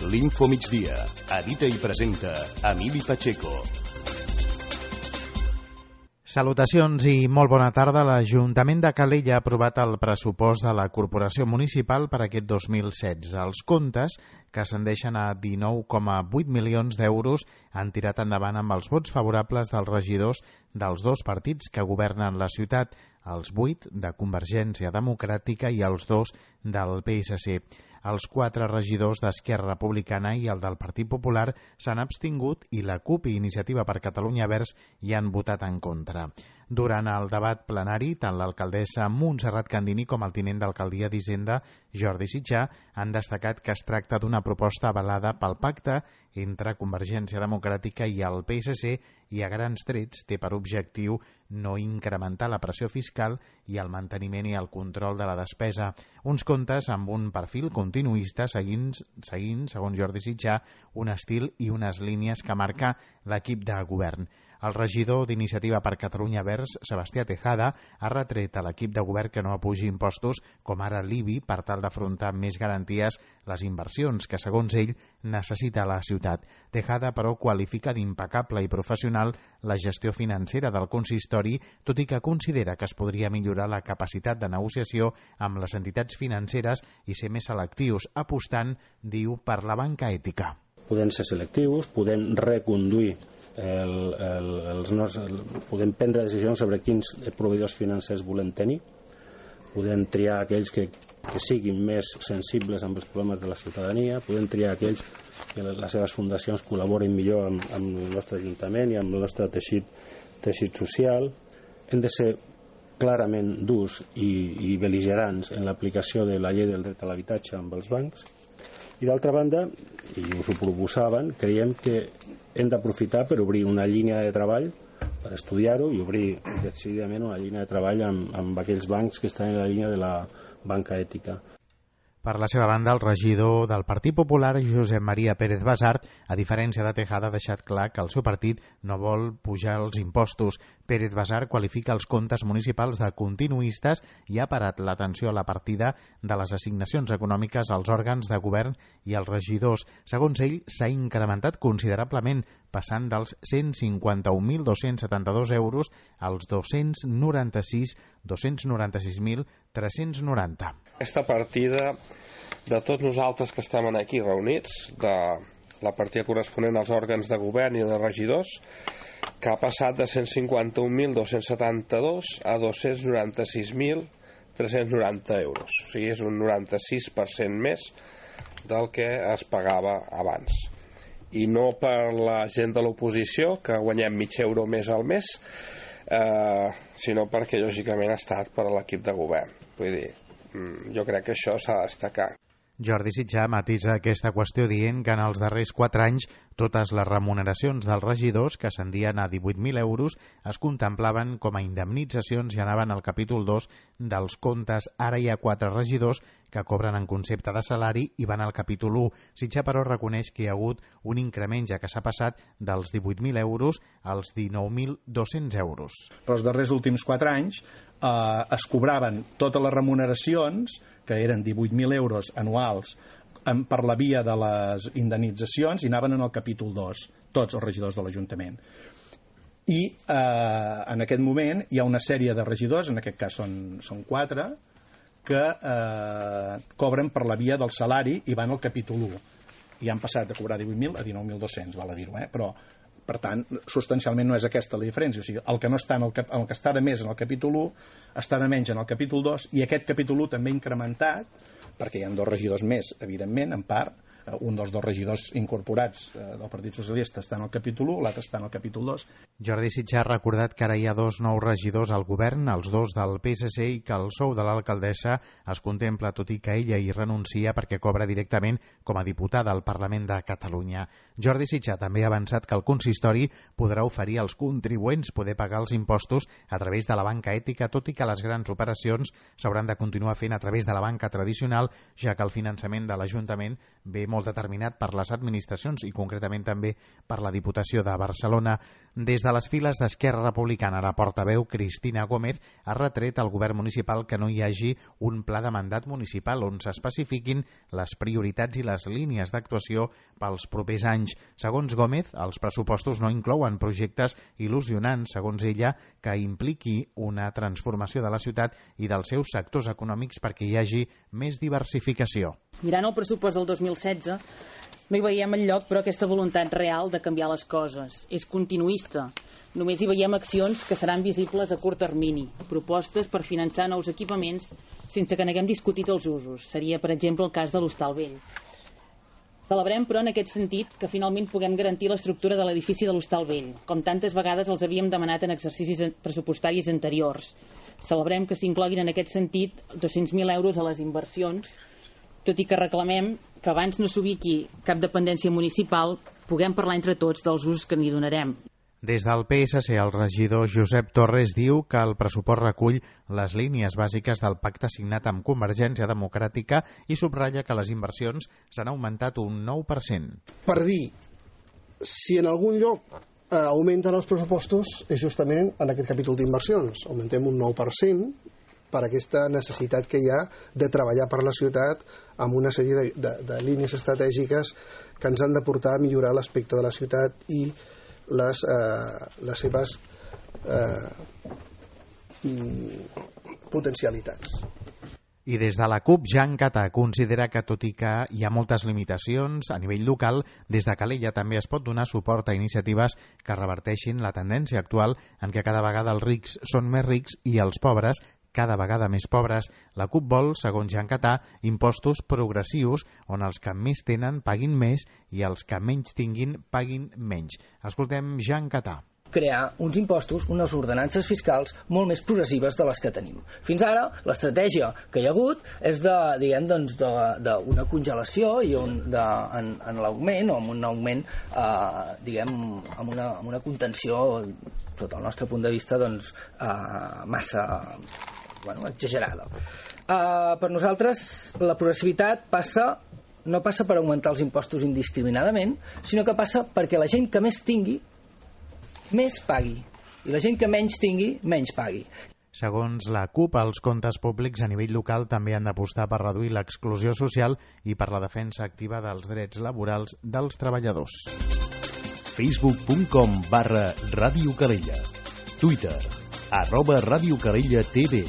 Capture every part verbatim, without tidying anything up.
L'Info Migdia. Edita i presenta Emili Pacheco. Salutacions i molt bona tarda. L'Ajuntament de Calella ha aprovat el pressupost de la Corporació Municipal per aquest dos mil setze. Els comptes, que ascendeixen a dinou coma vuit milions d'euros, han tirat endavant amb els vots favorables dels regidors dels dos partits que governen la ciutat, els vuit de Convergència Democràtica i els dos del P S C. Els quatre regidors d'Esquerra Republicana i el del Partit Popular s'han abstingut i la CUP i Iniciativa per Catalunya Verds hi han votat en contra. Durant el debat plenari, tant l'alcaldessa Montserrat Candini com el tinent d'alcaldia d'Hisenda, Jordi Sitjar, han destacat que es tracta d'una proposta avalada pel pacte entre Convergència Democràtica i el P S C i a grans trets té per objectiu no incrementar la pressió fiscal i el manteniment i el control de la despesa. Uns comptes amb un perfil continuista seguint, seguint segons Jordi Sitjar, un estil i unes línies que marca l'equip de govern. El regidor d'Iniciativa per Catalunya Verds, Sebastià Tejada, ha retret a l'equip de govern que no apugi impostos com ara l'I B I per tal d'afrontar amb més garanties les inversions que, segons ell, necessita la ciutat. Tejada, però, qualifica d'impecable i professional la gestió financera del consistori, tot i que considera que es podria millorar la capacitat de negociació amb les entitats financeres i ser més selectius, apostant, diu, per la banca ètica. Podem ser selectius, podem reconduir El, el, els nostres, el, podem prendre decisions sobre quins proveïdors financers volem tenir, podem triar aquells que, que siguin més sensibles amb els problemes de la ciutadania, podem triar aquells que les seves fundacions col·laborin millor amb, amb el nostre ajuntament i amb el nostre teixit, teixit social. Hem de ser clarament durs i, i bel·ligerants en l'aplicació de la llei del dret a l'habitatge amb els bancs. I d'altra banda, i us ho proposaven, creiem que hem d'aprofitar per obrir una línia de treball, per estudiar-ho i obrir decididament una línia de treball amb, amb aquells bancs que estan en la línia de la banca ètica. Per la seva banda, el regidor del Partit Popular, Josep Maria Pérez Basart, a diferència de Tejada, ha deixat clar que el seu partit no vol pujar els impostos. Pérez Basart qualifica els comptes municipals de continuistes i ha parat l'atenció a la partida de les assignacions econòmiques als òrgans de govern i als regidors. Segons ell, s'ha incrementat considerablement, passant dels cent cinquanta-un mil dos-cents setanta-dos euros als dos-cents noranta-sis mil tres-cents noranta. Aquesta partida de tots nosaltres que estem aquí reunits, de la partida corresponent als òrgans de govern i de regidors, que ha passat de cent cinquanta-un mil dos-cents setanta-dos a dos-cents noranta-sis mil tres-cents noranta euros. O sigui, és un noranta-sis per cent més del que es pagava abans. I no per la gent de l'oposició, que guanyem mig euro més al mes, eh, sinó perquè lògicament ha estat per a l'equip de govern. Vull dir, jo crec que això s'ha de destacar. Jordi Sitjar matisa aquesta qüestió dient que en els darrers quatre anys totes les remuneracions dels regidors, que ascendien a divuit mil euros, es contemplaven com a indemnitzacions i anaven al capítol dos dels comptes. Ara hi ha quatre regidors que cobren en concepte de salari i van al capítol u. Sitjar, però, reconeix que hi ha hagut un increment, ja que s'ha passat dels divuit mil euros als dinou mil dos-cents euros. Però els darrers últims quatre anys eh, es cobraven totes les remuneracions, que eren divuit mil euros anuals, per la via de les indemnitzacions, i anaven en el capítol dos, tots els regidors de l'Ajuntament. I eh, en aquest moment hi ha una sèrie de regidors, en aquest cas són, són quatre, que eh, cobren per la via del salari i van al capítol u. I han passat de cobrar divuit mil a dinou mil dos-cents, val a dir-ho, eh? Però, per tant, substancialment no és aquesta la diferència. O sigui, el que no està en el, el que està de més en el capítol u està de menys en el capítol dos, i aquest capítol u també ha incrementat, perquè hi ha dos regidors més, evidentment, en part. Un dels dos regidors incorporats eh, del Partit Socialista està en el capítol u, l'altre està en el capítol dos. Jordi Sitjar ha recordat que ara hi ha dos nous regidors al govern, els dos del P S C, i que el sou de l'alcaldessa es contempla, tot i que ella hi renuncia perquè cobra directament com a diputada al Parlament de Catalunya. Jordi Sitjar també ha avançat que el consistori podrà oferir als contribuents poder pagar els impostos a través de la banca ètica, tot i que les grans operacions s'hauran de continuar fent a través de la banca tradicional, ja que el finançament de l'Ajuntament ve molt molt determinat per les administracions i concretament també per la Diputació de Barcelona. Des de les files d'Esquerra Republicana, la portaveu Cristina Gómez ha retret al govern municipal que no hi hagi un pla de mandat municipal on s'especifiquin les prioritats i les línies d'actuació pels propers anys. Segons Gómez, els pressupostos no inclouen projectes il·lusionants, segons ella, que impliqui una transformació de la ciutat i dels seus sectors econòmics perquè hi hagi més diversificació. Mirant el pressupost del dos mil setze, no hi veiem enlloc, però, aquesta voluntat real de canviar les coses. És continuista. Només hi veiem accions que seran visibles a curt termini, propostes per finançar nous equipaments sense que n'haguem discutit els usos. Seria, per exemple, el cas de l'Hostal Vell. Celebrem, però, en aquest sentit, que finalment puguem garantir l'estructura de l'edifici de l'Hostal Vell, com tantes vegades els havíem demanat en exercicis pressupostaris anteriors. Celebrem que s'incloguin en aquest sentit dos-cents mil euros a les inversions, tot i que reclamem que abans no s'ubiqui cap dependència municipal, puguem parlar entre tots dels usos que n'hi donarem. Des del P S C, el regidor Josep Torres diu que el pressupost recull les línies bàsiques del pacte signat amb Convergència Democràtica i subratlla que les inversions s'han augmentat un nou per cent. Per dir, si en algun lloc eh, augmenten els pressupostos és justament en aquest capítol d'inversions. Augmentem un nou per cent per aquesta necessitat que hi ha de treballar per la ciutat amb una sèrie de, de, de línies estratègiques que ens han de portar a millorar l'aspecte de la ciutat i les, eh, les seves eh, potencialitats. I des de la CUP, Jean Catà considera que, tot i que hi ha moltes limitacions a nivell local, des de Calella també es pot donar suport a iniciatives que reverteixin la tendència actual en què cada vegada els rics són més rics i els pobres cada vegada més pobres. La CUP vol, segons Jean Catà, impostos progressius on els que més tenen paguin més i els que menys tinguin paguin menys. Escoltem Jean Catà. Crear uns impostos, unes ordenances fiscals molt més progressives de les que tenim. Fins ara, l'estratègia que hi ha hagut és de, diguem, doncs, d'una congelació i un, de, en, en l'augment, o amb un augment, eh, diguem, amb una, amb una contenció, sota el nostre punt de vista, doncs, eh, massa, bueno, exagerada. Eh, per nosaltres, la progressivitat passa no passa per augmentar els impostos indiscriminadament, sinó que passa perquè la gent que més tingui més pagui, i la gent que menys tingui, menys pagui. Segons la CUP, els comptes públics a nivell local també han d'apostar per reduir l'exclusió social i per la defensa activa dels drets laborals dels treballadors. facebook punt com barra Ràdio Calella. Twitter, arroba Ràdio Calella T V.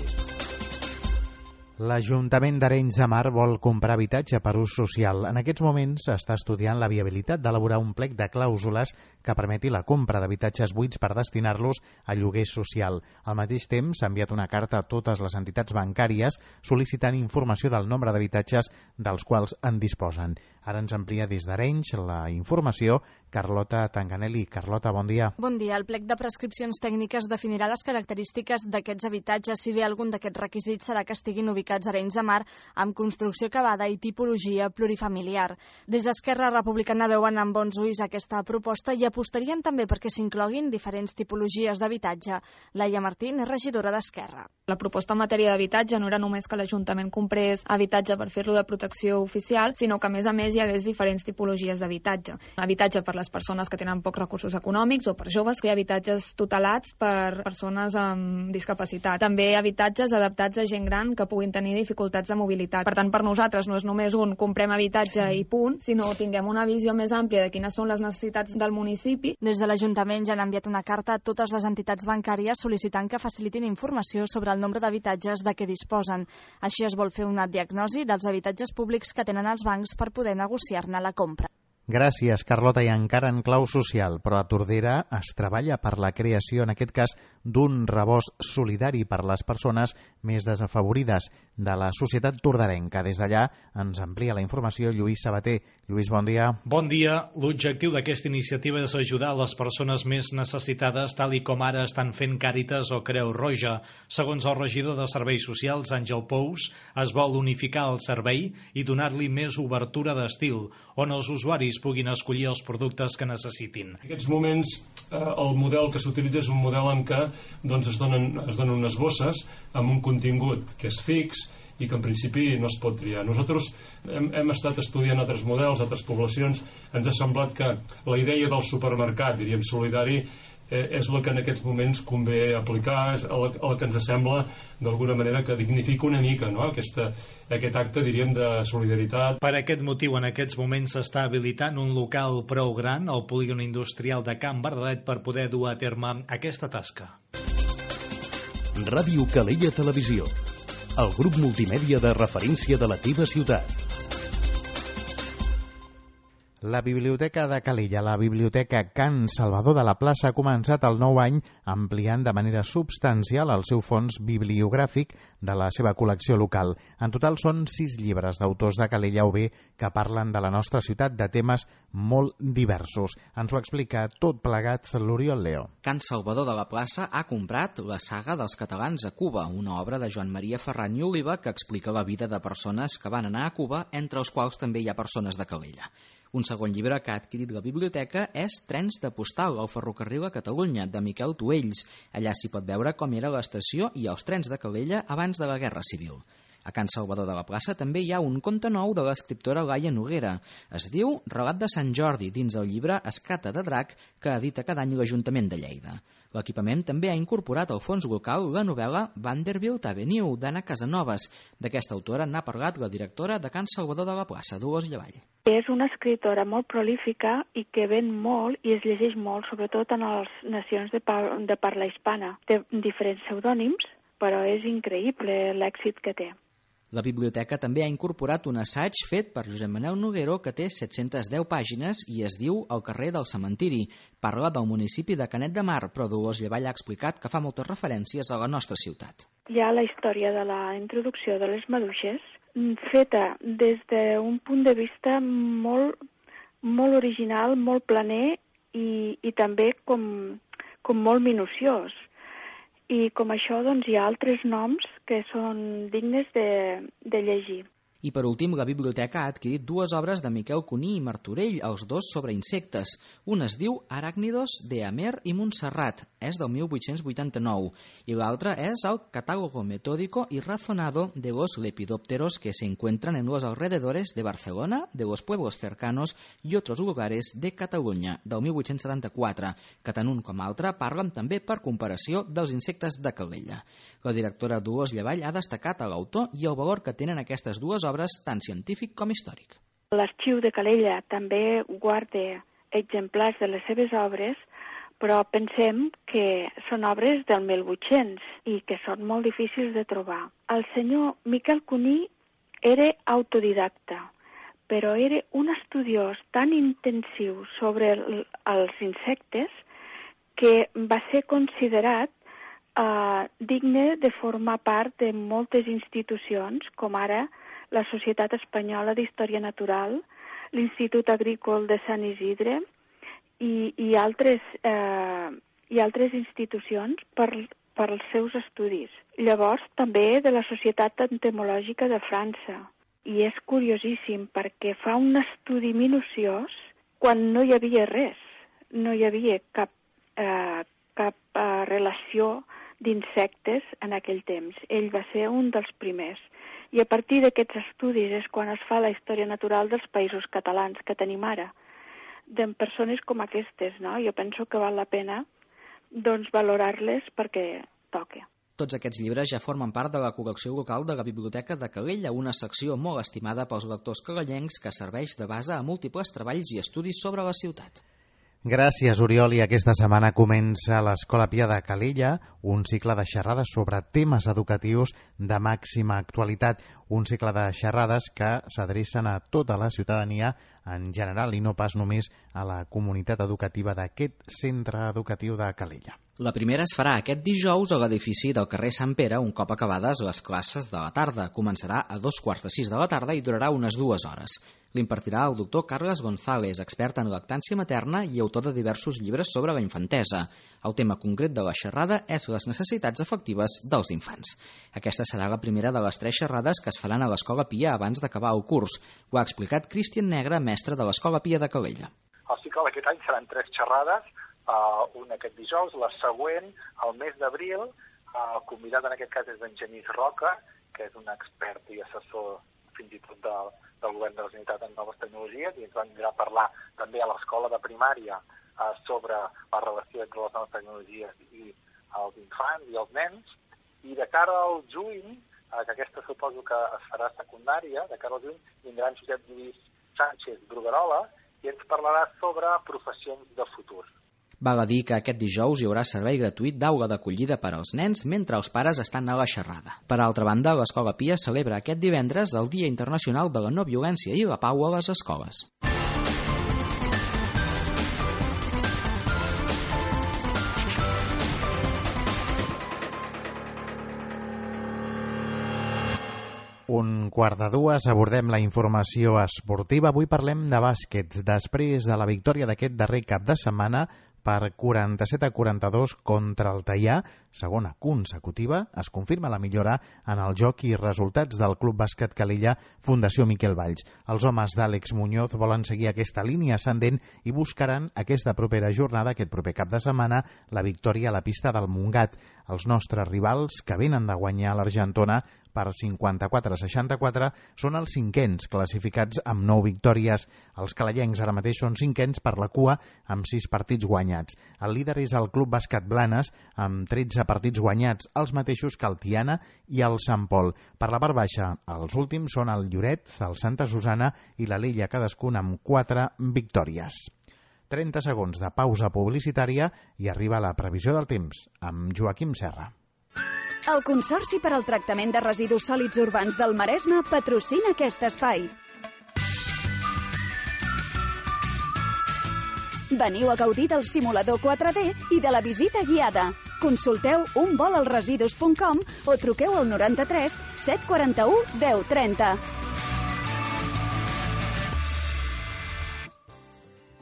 L'Ajuntament d'Arenys de Mar vol comprar habitatge per ús social. En aquests moments està estudiant la viabilitat d'elaborar un plec de clàusules que permeti la compra d'habitatges buits per destinar-los a lloguer social. Al mateix temps, s'ha enviat una carta a totes les entitats bancàries sol·licitant informació del nombre d'habitatges dels quals en disposen. Ara ens amplia des d'Arenys la informació Carlota Tanganelli. Carlota, bon dia. Bon dia. El plec de prescripcions tècniques definirà les característiques d'aquests habitatges, si bé algun d'aquests requisits serà que estiguin ubicats a Arenys de Mar amb construcció acabada i tipologia plurifamiliar. Des d'Esquerra Republicana veuen amb bons ulls aquesta proposta i apostarien també perquè s'incloguin diferents tipologies d'habitatge. Laia Martín és regidora d'Esquerra. La proposta en matèria d'habitatge no era només que l'Ajuntament comprés habitatge per fer-lo de protecció oficial, sinó que a més a més hi hagués diferents tipologies d'habitatge. Habitatge per les persones que tenen pocs recursos econòmics o per joves, que hi ha habitatges tutelats per persones amb discapacitat. També habitatges adaptats a gent gran que puguin tenir dificultats de mobilitat. Per tant, per nosaltres no és només un comprem habitatge i punt, sinó tinguem una visió més àmplia de quines són les necessitats del municipi. Des de l'Ajuntament ja han enviat una carta a totes les entitats bancàries sol·licitant que facilitin informació sobre el nombre d'habitatges de què disposen. Així es vol fer una diagnosi dels habitatges públics que tenen els bancs per poder negociar-ne la compra. Gràcies, Carlota. I encara en clau social, però a Tordera es treballa per la creació, en aquest cas, d'un rebost solidari per les persones més desafavorides de la societat tordarenca. Des d'allà ens amplia la informació Lluís Sabater. Lluís, bon dia. Bon dia. L'objectiu d'aquesta iniciativa és ajudar les persones més necessitades, tal i com ara estan fent Càritas o Creu Roja. Segons el regidor de Serveis Socials, Àngel Pous, es vol unificar el servei i donar-li més obertura d'estil, on els usuaris puguin escollir els productes que necessitin. En aquests moments eh, el model que s'utilitza és un model en què doncs, es, donen, es donen unes bosses amb un contingut que és fix i que en principi no es pot triar. Nosaltres hem, hem estat estudiant altres models, altres poblacions, ens ha semblat que la idea del supermercat, diríem, solidari, és la que en aquests moments convé aplicar, és la, la que ens sembla d'alguna manera que dignifica una mica, no? Aquesta, aquest acte, diríem, de solidaritat. Per aquest motiu, en aquests moments s'està habilitant un local prou gran al polígon industrial de Can Bardalet per poder dur a terme aquesta tasca. Ràdio Calella Televisió, el grup multimèdia de referència de la teva ciutat. La Biblioteca de Calella, la Biblioteca Can Salvador de la Plaça, ha començat el nou any ampliant de manera substancial el seu fons bibliogràfic de la seva col·lecció local. En total són sis llibres d'autors de Calella o bé que parlen de la nostra ciutat de temes molt diversos. Ens ho explica tot plegat l'Oriol Leo. Can Salvador de la Plaça ha comprat La saga dels catalans a Cuba, una obra de Joan Maria Ferran i Oliva que explica la vida de persones que van anar a Cuba, entre els quals també hi ha persones de Calella. Un segon llibre que ha adquirit la biblioteca és Trens de postal al ferrocarril a Catalunya, de Miquel Tuells. Allà s'hi pot veure com era l'estació i els trens de Calella abans de la Guerra Civil. A Can Salvador de la Plaça també hi ha un conte nou de l'escriptora Laia Noguera. Es diu Relat de Sant Jordi, dins el llibre Escata de Drac, que edita cada any l'Ajuntament de Lleida. L'equipament també ha incorporat al fons local la novel·la Vanderbilt Avenue, d'Anna Casanovas. D'aquesta autora n'ha parlat la directora de Can Salvador de la Plaça, Dolors Llavall. És una escritora molt prolífica i que ven molt i es llegeix molt, sobretot en les nacions de, par de parla hispana. Té diferents pseudònims, però és increïble l'èxit que té. La biblioteca també ha incorporat un assaig fet per Josep Manel Noguero que té set-centes deu pàgines i es diu El carrer del cementiri. Parla del municipi de Canet de Mar, però Dolors Llavall ha explicat que fa moltes referències a la nostra ciutat. Hi ha la història de la introducció de les maduixes, feta des d'un punt de vista molt, molt original, molt planer i, i també com, com molt minuciós. I com això doncs, hi ha altres noms que són dignes de, de llegir. I per últim, la biblioteca ha adquirit dues obres de Miquel Cuní i Martorell, els dos sobre insectes. Un es diu Arácnidos de Amer i Montserrat, és del mil vuit-cents vuitanta-nou, i l'altre és el Catálogo Metódico y Razonado de los lepidópteros que se encuentran en los alrededores de Barcelona, de los pueblos cercanos y otros lugares de Catalunya, del mil vuit-cents setanta-quatre, que tant un com altre parlen també per comparació dels insectes de Calella. La directora Dolors Llavall ha destacat a l'autor i el valor que tenen aquestes dues obres, tant científic com històric. L'Arxiu de Calella també guarda exemplars de les seves obres, però pensem que són obres del mil vuit-cents i que són molt difícils de trobar. El senyor Miquel Cuní era autodidacta, però era un estudiós tan intensiu sobre el, els insectes que va ser considerat Uh, digne de formar part de moltes institucions, com ara la Societat Espanyola d'Història Natural, l'Institut Agrícola de Sant Isidre i, i, altres, uh, i altres institucions per, per als seus estudis. Llavors, també de la Societat Entomològica de França. I és curiosíssim perquè fa un estudi minuciós quan no hi havia res, no hi havia cap, uh, cap uh, relació d'insectes en aquell temps. Ell va ser un dels primers. I a partir d'aquests estudis és quan es fa la història natural dels països catalans que tenim ara, de persones com aquestes, no? Jo penso que val la pena doncs, valorar-les perquè toca. Tots aquests llibres ja formen part de la col·lecció local de la Biblioteca de Calella, una secció molt estimada pels lectors calellencs que serveix de base a múltiples treballs i estudis sobre la ciutat. Gràcies, Oriol. I aquesta setmana comença a l'Escola Pia de Calella un cicle de xerrades sobre temes educatius de màxima actualitat. Un cicle de xerrades que s'adrecen a tota la ciutadania en general i no pas només a la comunitat educativa d'aquest centre educatiu de Calella. La primera es farà aquest dijous a l'edifici del carrer Sant Pere, un cop acabades les classes de la tarda. Començarà a dos quarts de sis de la tarda i durarà unes dues hores. L'impartirà el doctor Carles González, expert en lactància materna i autor de diversos llibres sobre la infantesa. El tema concret de la xerrada és les necessitats afectives dels infants. Aquesta serà la primera de les tres xerrades que es faran a l'Escola Pia abans d'acabar el curs. Ho ha explicat Cristian Negre, mestre de l'Escola Pia de Calella. El cicle d'aquest any seran tres xerrades, uh, una aquest dijous, la següent, al mes d'abril. El convidat en aquest cas és en Genís Roca, que és un expert i assessor fins i tot del, del govern de la Generalitat en noves tecnologies, i ens van mirar a parlar també a l'escola de primària eh, sobre la relació entre les noves tecnologies i els infants i els nens, i de cara al juny, eh, que aquesta suposo que es farà secundària, de cara al juny vindrà en Josep Lluís Sánchez Bruguerola i ens parlarà sobre professions de futur. Val a dir que aquest dijous hi haurà servei gratuït d'aula d'acollida per als nens mentre els pares estan a la xerrada. Per altra banda, l'Escola Pia celebra aquest divendres el Dia Internacional de la No Violència i la Pau a les escoles. Un quart de dues, abordem la informació esportiva. Avui parlem de bàsquet. Després de la victòria d'aquest darrer cap de setmana per quaranta-set a quaranta-dos contra el Teià, segona consecutiva, es confirma la millora en el joc i resultats del Club Bàsquet Calella Fundació Miquel Valls. Els homes d'Àlex Muñoz volen seguir aquesta línia ascendent i buscaran aquesta propera jornada, aquest proper cap de setmana, la victòria a la pista del Montgat. Els nostres rivals, que venen de guanyar l'Argentona per cinquanta-quatre a seixanta-quatre, són els cinquens classificats amb nou victòries. Els calellencs ara mateix són cinquens per la cua amb sis partits guanyats. El líder és el Club Bàsquet Blanes amb tretze partits guanyats, els mateixos que el Tiana i el Sant Pol. Per la part baixa, els últims són el Lloret, el Santa Susana i l'Alella, cadascun amb quatre victòries. trenta segons de pausa publicitària i arriba la previsió del temps amb Joaquim Serra. El Consorci per al Tractament de Residus Sòlids Urbans del Maresme patrocina aquest espai. Veniu a gaudir del simulador quatre D i de la visita guiada. Consulteu un vol als residus punt com o truqueu al noranta-tres set quaranta-u deu trenta.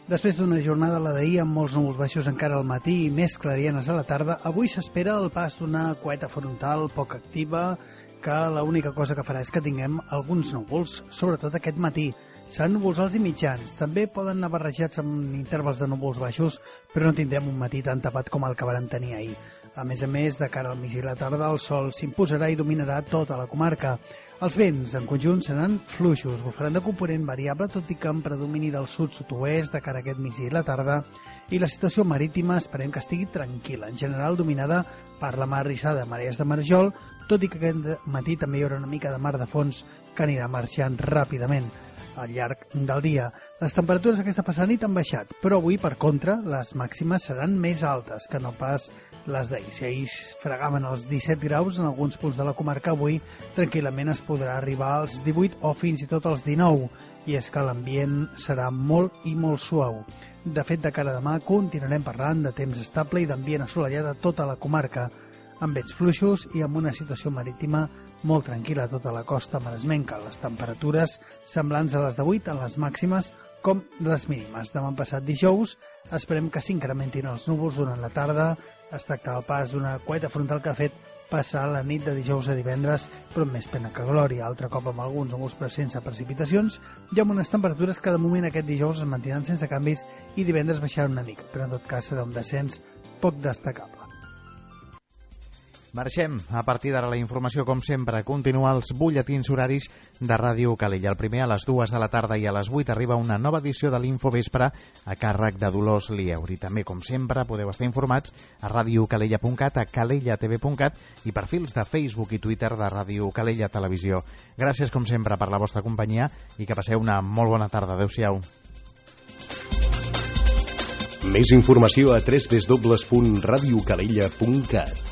Després d'una jornada la d'ahir amb molts núvols baixos encara al matí i més clarienes a la tarda, avui s'espera el pas d'una coeta frontal poc activa, que l'única cosa que farà és que tinguem alguns núvols, sobretot aquest matí. Seran núvols alts i mitjans, també poden anar barrejats amb intervals de núvols baixos, però no tindrem un matí tan tapat com el que vàrem tenir ahir. A més a més, de cara al migdia i la tarda, el sol s'imposarà i dominarà tota la comarca. Els vents, en conjunt, seran fluixos, bufaran de component variable, tot i que en predomini del sud-sud-oest de cara a aquest migdia i la tarda, i la situació marítima esperem que estigui tranquil·la, en general dominada per la mar rissada de marees de marjol, tot i que aquest matí també hi haurà una mica de mar de fons que anirà marxant ràpidament al llarg del dia. Les temperatures aquesta passada nit han baixat, però avui, per contra, les màximes seran més altes que no pas les d'ahir. Si ahir fregaven els disset graus en alguns punts de la comarca, avui tranquil·lament es podrà arribar als divuit o fins i tot als dinou, i és que l'ambient serà molt i molt suau. De fet, de cara a demà continuarem parlant de temps estable i d'ambient assolellat a tota la comarca, amb vents fluixos i amb una situació marítima molt tranquil·la a tota la costa maresmenca. Les temperatures semblants a les d'avui, tant les màximes com les mínimes. Demà passat dijous esperem que s'incrementin els núvols durant la tarda. Es tracta del pas d'una coeta frontal que ha fet passar la nit de dijous a divendres, però amb més pena que glòria, altre cop amb alguns núvols però sense precipitacions, i amb unes temperatures que de moment aquest dijous es mantindran sense canvis i divendres baixaran una mica, però en tot cas serà un descens poc destacable. Marxem. A partir d'ara la informació, com sempre, continua els butlletins horaris de Ràdio Calella. El primer a les dues de la tarda i a les vuit arriba una nova edició de l'Infovespre a càrrec de Dolors Lieuri. També, com sempre, podeu estar informats a radiocalella punt cat, a calella t v punt cat i perfils de Facebook i Twitter de Ràdio Calella Televisió. Gràcies, com sempre, per la vostra companyia i que passeu una molt bona tarda. Adéu-siau. Més informació a w w w punt radiocalella punt cat.